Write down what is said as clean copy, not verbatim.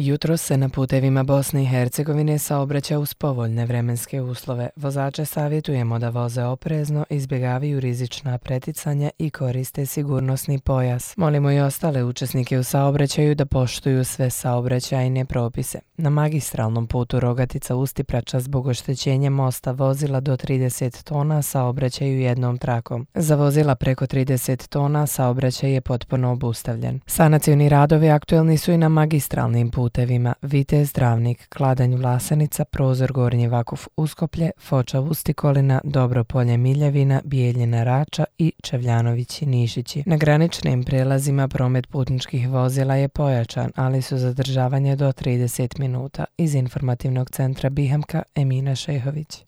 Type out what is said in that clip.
Jutros se na putevima Bosne i Hercegovine saobraća uz povoljne vremenske uslove. Vozače savjetujemo da voze oprezno, izbjegavaju rizična preticanja i koriste sigurnosni pojas. Molimo i ostale učesnike u saobraćaju da poštuju sve saobraćajne propise. Na magistralnom putu Rogatica-Ustiprača zbog oštećenja mosta vozila do 30 tona saobraćaju jednom trakom. Za vozila preko 30 tona saobraćaj je potpuno obustavljen. Sanacioni radovi aktuelni su i na magistralnim putevima Vitez Dravnik, Kladanj Vlasenica, Prozor Gornji Vakuf Uskoplje, Foča Vustikolina, Dobropolje Miljevina, Bijeljina Rača i Čevljanovići Nišići. Na graničnim prelazima promet putničkih vozila je pojačan, ali su zadržavanje do 30 minuta. Iz informativnog centra Bihamka, Emina Šehović.